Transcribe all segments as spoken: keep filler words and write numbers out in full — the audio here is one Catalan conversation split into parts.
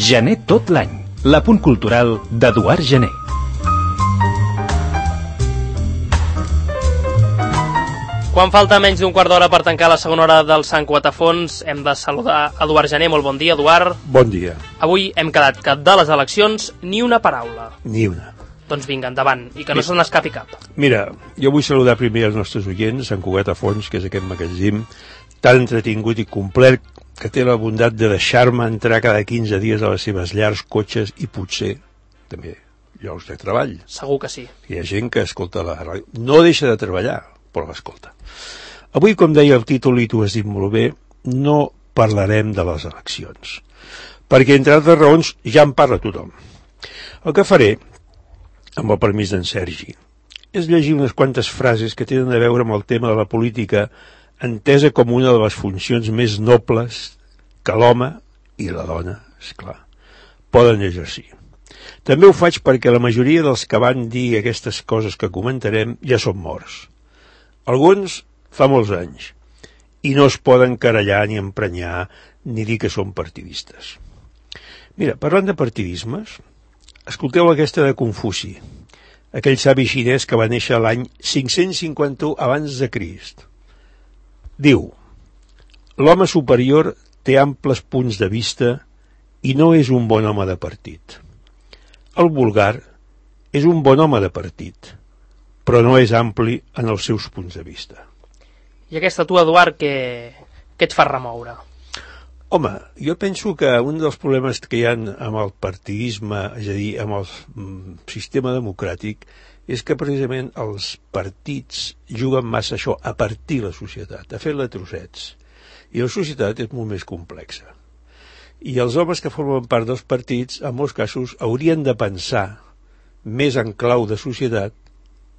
Gener tot l'any, l'apunt cultural d'Eduard Gener. Quan falta menys d'un quart d'hora per tancar la segona hora del Sant Quatafons, hem de saludar Eduard Gener. Molt bon dia, Eduard. Bon dia. Avui hem quedat que de les eleccions ni una paraula. Ni una. Doncs vinga, endavant, i que no se n'escapi cap. Mira, jo vull saludar primer els nostres oients, Sant Cugat a Fons, que és aquest magatzim tan entretingut i complet que té la bondat de deixar-me entrar cada quinze dies a les seves llars, cotxes i potser també llocs de treball. Segur que sí. Hi ha gent que escolta la ràdio. No deixa de treballar, però l'escolta. Avui, com deia el títol, i tu has dit molt bé, no parlarem de les eleccions, perquè, entre altres raons, ja en parla tothom. El que faré, amb el permís d'en Sergi, és llegir unes quantes frases que tenen a veure amb el tema de la política, entesa com una de les funcions més nobles que l'home i la dona, esclar, poden exercir. També ho faig perquè la majoria dels que van dir aquestes coses que comentarem ja són morts. Alguns fa molts anys, i no es poden querellar ni emprenyar ni dir que són partidistes. Mira, parlant de partidismes, escolteu aquesta de Confuci, aquell savi xinès que va néixer l'any cinc-cents cinquanta-u abans de Crist. Diu, l'home superior té amples punts de vista i no és un bon home de partit. El vulgar és un bon home de partit, però no és ampli en els seus punts de vista. I aquesta tu, Eduard, què, què et fa remoure? Home, jo penso que un dels problemes que hi ha amb el partidisme, és a dir, amb el mm, sistema democràtic, és que precisament els partits juguen massa això, a partir la societat, a fer-la trossets. I la societat és molt més complexa. I els homes que formen part dels partits, en molts casos, haurien de pensar més en clau de societat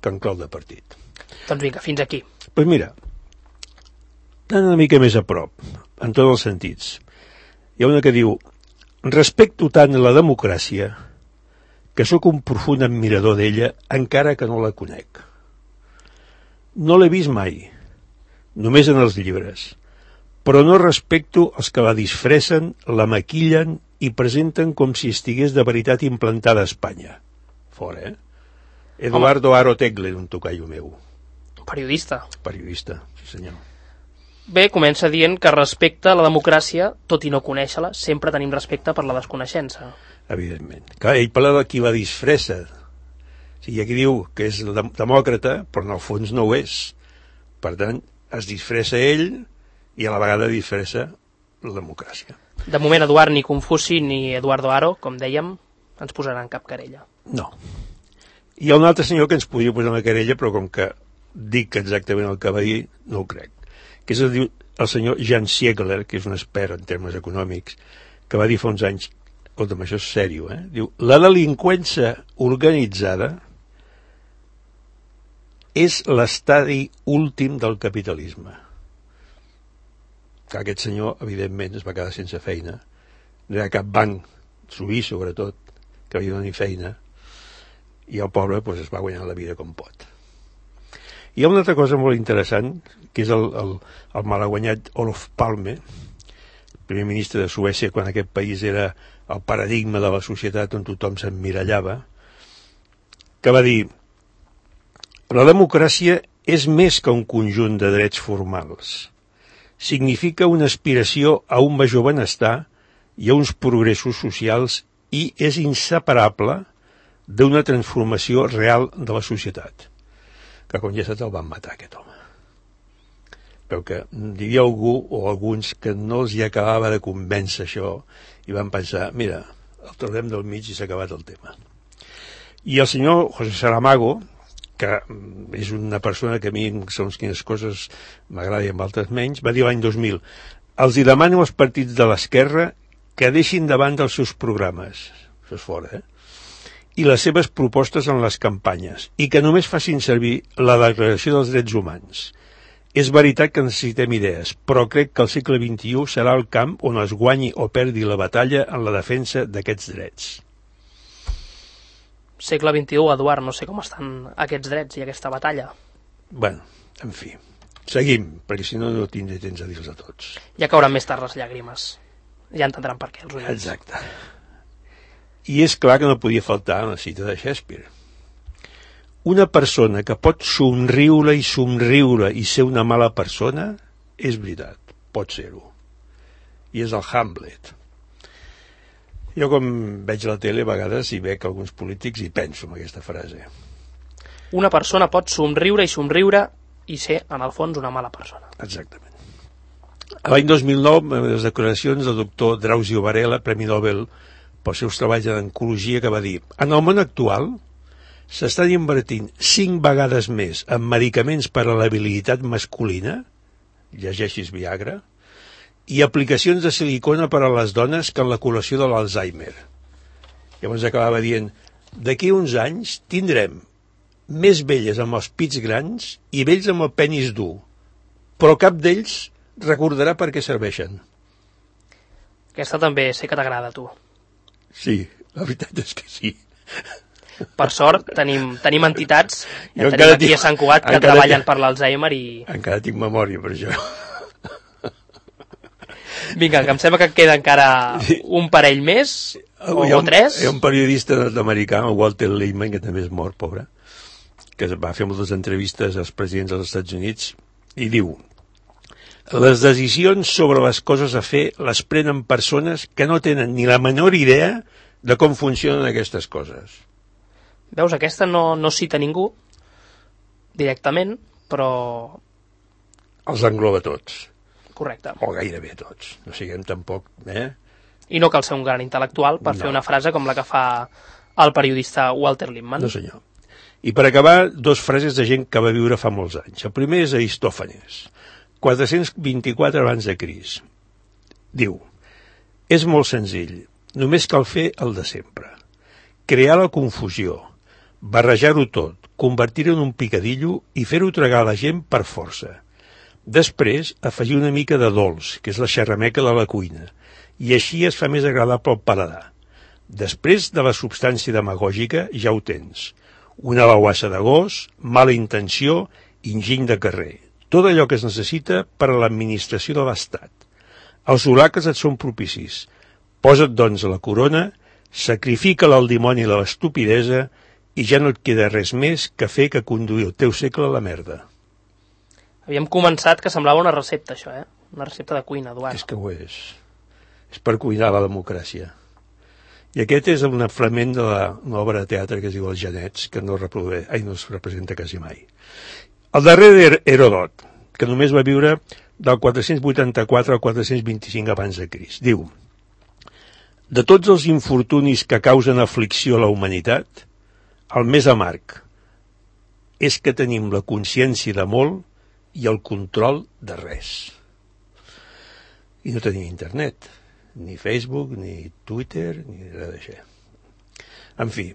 que en clau de partit. Doncs vinga, fins aquí. Doncs pues mira, anant una mica més a prop, en tots els sentits, hi ha una que diu, respecto tant la democràcia que sóc un profund admirador d'ella encara que no la conec. No l'he vist mai, només en els llibres, però no respecto els que la disfressen, la maquillen i presenten com si estigués de veritat implantada a Espanya. Fora, eh? Eduardo Aro Tegler, un tocaio meu. Periodista. Periodista, sí senyor. Bé, comença dient que respecte a la democràcia, tot i no conèixer-la, sempre tenim respecte per la desconeixença. Evidentment. Clar, ell parla de qui la disfressa. O sigui, aquí diu que és demòcrata, però en el fons no ho és. Per tant, es disfressa ell i a la vegada disfressa la democràcia. De moment, Eduard, ni Confuci ni Eduardo Aro, com dèiem, ens posaran cap querella. No. Hi ha un altre senyor que ens podria posar una querella, però com que dic exactament el que va dir, no ho crec. Que és el, el senyor Jan Siegler, que és un expert en termes econòmics, que va dir fa uns anys, escolta'm, això és sèrio, eh? Diu, la delinqüència organitzada és l'estadi últim del capitalisme. Que aquest senyor, evidentment, es va quedar sense feina. No hi ha cap banc, suís sobretot, que li doni feina, i el pobre pues, es va guanyar la vida com pot. Hi ha una altra cosa molt interessant, que és el, el, el malaguanyat Olof Palme, primer ministre de Suècia, quan aquest país era el paradigma de la societat on tothom s'emmirallava, que va dir, la democràcia és més que un conjunt de drets formals. Significa una aspiració a un major benestar i a uns progressos socials i és inseparable d'una transformació real de la societat. Que com ja saps el van matar aquest home. Però que hi havia algú o alguns que no els hi acabava de convèncer això i van pensar, mira, el tornem del mig i s'ha acabat el tema. I el senyor José Saramago, que és una persona que a mi, segons quines coses m'agrada i amb altres menys, va dir l'any dos mil, els hi demano als partits de l'esquerra que deixin davant dels seus programes, això és fora, eh? i les seves propostes en les campanyes, i que només facin servir la Declaració dels Drets Humans. És veritat que necessitem idees, però crec que el segle vint-i-u serà el camp on es guanyi o perdi la batalla en la defensa d'aquests drets. Segle vint-i-u, Eduard, no sé com estan aquests drets i aquesta batalla. Bueno, en fi, seguim, perquè si no no tindré temps a dir-los a tots. Ja cauran més tard les llàgrimes. Ja entendran per què, els oients. Exacte. I és clar que no podia faltar en la cita de Shakespeare. Una persona que pot somriure i somriure i ser una mala persona, és veritat, pot ser-ho. I és el Hamlet. Jo, com veig la tele, a vegades hi veig alguns polítics i penso en aquesta frase. Una persona pot somriure i somriure i ser, en el fons, una mala persona. Exactament. L'any dos mil nou, les declaracions del doctor Drauzio Varela, Premi Nobel pels seus treballs en oncologia, que va dir: en el món actual s'estan invertint cinc vegades més en medicaments per a l'habilitat masculina, llegeixis Viagra, i aplicacions de silicona per a les dones que en la curació de l'Alzheimer. Llavors acabava dient: d'aquí uns anys tindrem més velles amb els pits grans i vells amb el penis dur, però cap d'ells recordarà per què serveixen. Aquesta també sé que t'agrada, a tu. Sí, la veritat és que sí. Per sort, tenim, tenim entitats, ja Jo tenim aquí tinc, a Sant Cugat, que treballen per l'Alzheimer i... Encara tinc memòria per això. Vinga, que em sembla que queda encara un parell més, o, hi ha un, o tres. Hi ha un periodista nord-americà, el Walter Lippmann, que també és mort, pobre, que va fer moltes entrevistes als presidents dels Estats Units, i diu: les decisions sobre les coses a fer les prenen persones que no tenen ni la menor idea de com funcionen aquestes coses. Veus, aquesta no, no cita ningú directament, però... Els engloba tots. Correcte. O gairebé tots. No siguem tampoc... Eh? I no cal ser un gran intel·lectual per no. fer una frase com la que fa el periodista Walter Lippmann. No, senyor. I per acabar, dos frases de gent que va viure fa molts anys. El primer és Aristòfanes, quatre-cents vint-i-quatre abans de Crist. Diu: és molt senzill, només cal fer el de sempre. Crear la confusió, barrejar-ho tot, convertir-ho en un picadillo i fer-ho tragar a la gent per força. Després, afegir una mica de dolç, que és la xerrameca de la cuina, i així es fa més agradable al paladar. Després de la substància demagògica ja ho tens. Una bauassa de gos, mala intenció, enginy de carrer. Tot allò que es necessita per a l'administració de l'Estat. Els oracles et són propicis. Posa't, doncs, a la corona, sacrifica-la al dimoni i la estupidesa i ja no et queda res més que fer que conduir el teu segle a la merda. Havíem començat que semblava una recepta, això, eh? Una recepta de cuina, Eduard. És que ho és. És per cuinar la democràcia. I aquest és un fragment de l'obra de teatre que es diu Els Genets, que no, reprodueix, ai, no es representa quasi mai. El darrer d'Heròdot, que només va viure del quatre-cents vuitanta-quatre al quatre-cents vint-i-cinc abans de Crist, diu: de tots els infortunis que causen aflicció a la humanitat, el més amarg és que tenim la consciència de molt i el control de res. I no tenim internet, ni Facebook, ni Twitter, ni res d'això. En fi,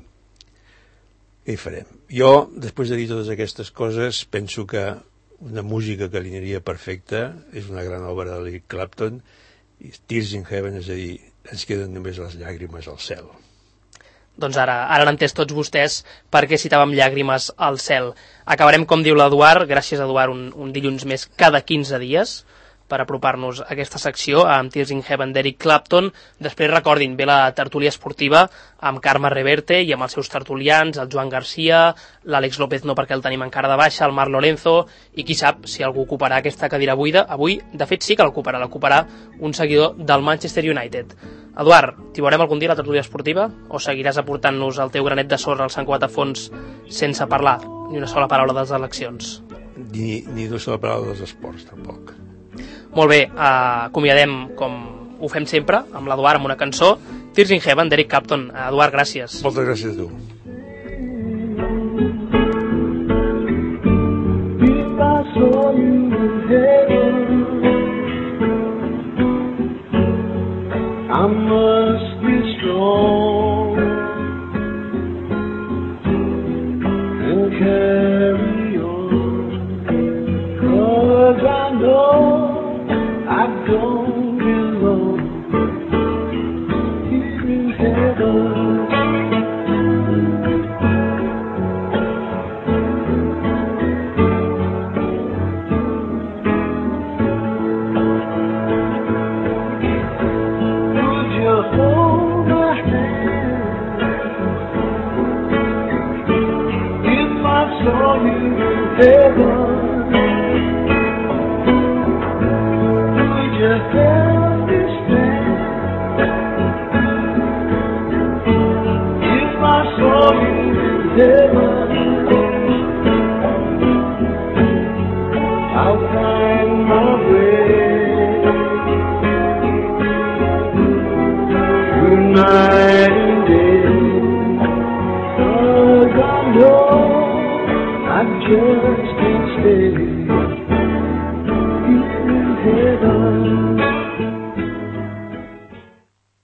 què hi farem? Jo, després de dir totes aquestes coses, penso que una música que li aniria perfecta és una gran obra d'Eric Clapton, Tears in Heaven, és a dir, ens queden només les llàgrimes al cel. Doncs ara, ara han entès tots vostès per què citàvem llàgrimes al cel. Acabarem, com diu l'Eduard, gràcies Eduard, un, un dilluns més cada quinze dies, per apropar-nos a aquesta secció amb Tears in Heaven d'Eric Clapton. Després recordin, ve la tertúlia esportiva amb Carme Reverte i amb els seus tertulians, el Joan Garcia, l'Àlex López no perquè el tenim encara de baixa, el Marc Lorenzo, i qui sap si algú ocuparà aquesta cadira buida. Avui, de fet, sí que l'ocuparà, l'ocuparà un seguidor del Manchester United. Eduard, t'hi veurem algun dia a la tertúlia esportiva o seguiràs aportant-nos el teu granet de sorra al Sant Cugat a fons sense parlar ni una sola paraula de les eleccions? Ni, ni una sola paraula dels esports, tampoc. Molt bé, eh, acomiadem com ho fem sempre amb l'Eduard amb una cançó, Tears in Heaven d'Eric Clapton. Eduard, gràcies. Moltes gràcies a tu. I must be strong and carry on, 'cause I know I don't belong here in heaven. feathers.